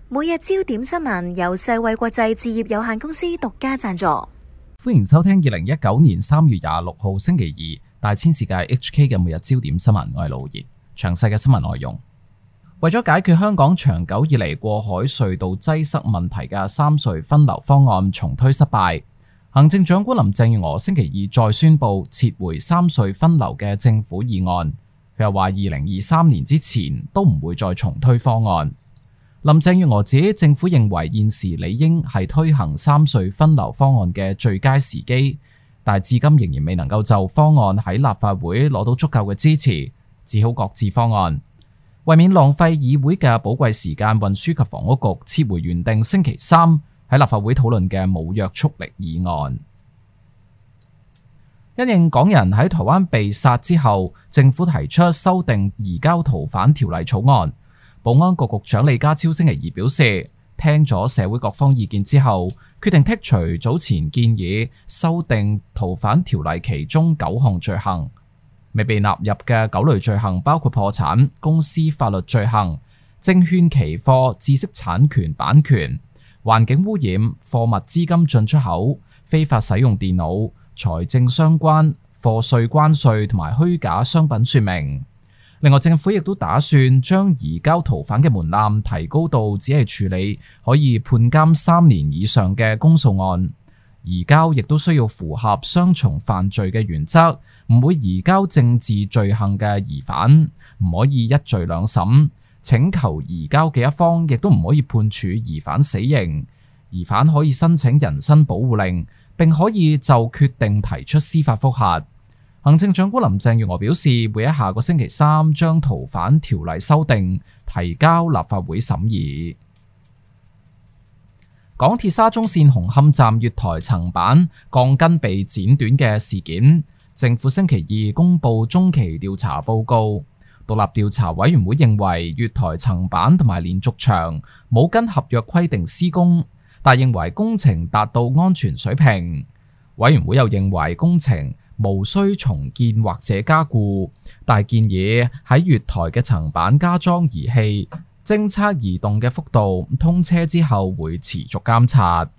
每日焦點新聞由世衛國際置業有限公司獨家贊助。歡迎收聽2019年3月26號星期二大千世界 HK 嘅每日焦點新聞，我係盧賢。詳細嘅新聞內容，為咗解決香港長久以嚟過海隧道擠塞問題嘅三隧分流方案重推失敗，行政長官林鄭月娥星期二再宣布撤回三隧分流嘅政府議案。佢又話2023年之前都唔會再重推方案。林鄭月娥指政府認為現時理應係推行三隧分流方案嘅最佳時機，但至今仍然未能夠就方案喺立法會攞到足夠嘅支持，只好擱置方案。為免浪費議會嘅寶貴時間，運輸及房屋局撤回原定星期三喺立法會討論嘅無約束力議案。因應港人喺台灣被殺之後，政府提出修訂移交逃犯條例草案。保安局局長李家超星期二表示，聽咗社會各方意見之後，決定剔除早前建議修訂逃犯條例其中9項罪行。未被納入嘅9類罪行包括破產、公司法律罪行、證券期貨、知識產權版權、環境污染、貨物資金進出口、非法使用電腦、財政相關、課稅關稅同埋虛假商品說明。另外，政府亦都打算將移交逃犯嘅門檻提高到只係處理可以判監3年以上嘅公訴案。移交亦都需要符合雙重犯罪嘅原則，唔會移交政治罪行嘅疑犯，唔可以一罪兩審。請求移交嘅一方亦都唔可以判處疑犯死刑。疑犯可以申請人身保護令，並可以就決定提出司法覆核。行政長官林鄭月娥表示，會喺下個星期三將逃犯條例修訂提交立法會審議。港鐵沙中線紅磡站月台層板鋼筋被剪短嘅事件，政府星期二公布中期調查報告。獨立調查委員會認為月台層板同埋連續牆冇跟合約規定施工，但認為工程達到安全水平。委員會又認為工程無需重建或者加固，但建議喺月台嘅層板加裝儀器，偵測移動嘅幅度，通車之後會持續監察。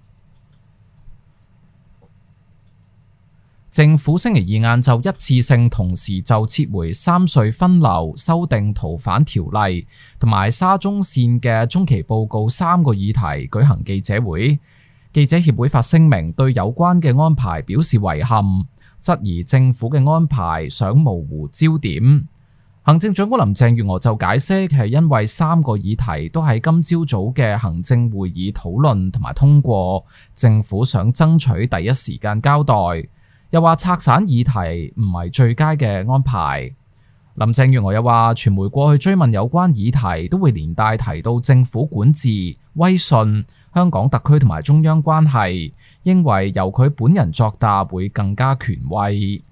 政府星期二晏晝一次性同時就撤回三隧分流、修訂逃犯條例同埋沙中線嘅中期報告3個議題舉行記者會。記者協會發聲明對有關嘅安排表示遺憾，質疑政府嘅安排想模糊焦點。行政長官林鄭月娥就解釋係因為3個議題都喺今朝早嘅行政會議討論同埋通過，政府想爭取第一時間交代。又話拆散議題唔係最佳嘅安排。林鄭月娥又話，傳媒過去追問有關議題都會連帶提到政府管治、威信、香港特區同埋中央關係，認為由佢本人作答會更加權威。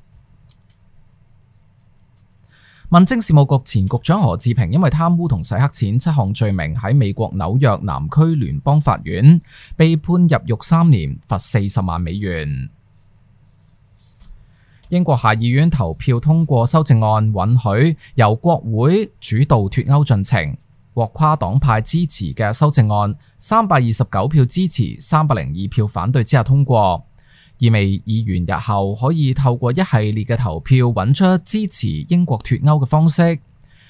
民政事務局前局長何志平因為貪污同洗黑錢7項罪名喺美國紐約南區聯邦法院被判入獄3年，罰40萬美元。英國下議院投票通過修正案，允許由國會主導脫歐進程。獲跨黨派支持嘅修正案329票支持、302票反對之下通過，意味議員日後可以透過一系列嘅投票揾出支持英國脫歐嘅方式。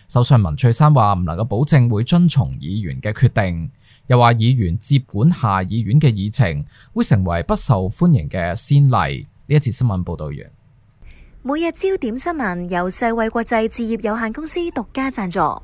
首相文翠珊話唔能夠保證會遵從議員嘅決定，又話議員接管下議院嘅議程會成為不受歡迎嘅先例。呢一次新聞報道完。每日焦點新聞由世衛國際置業有限公司獨家贊助。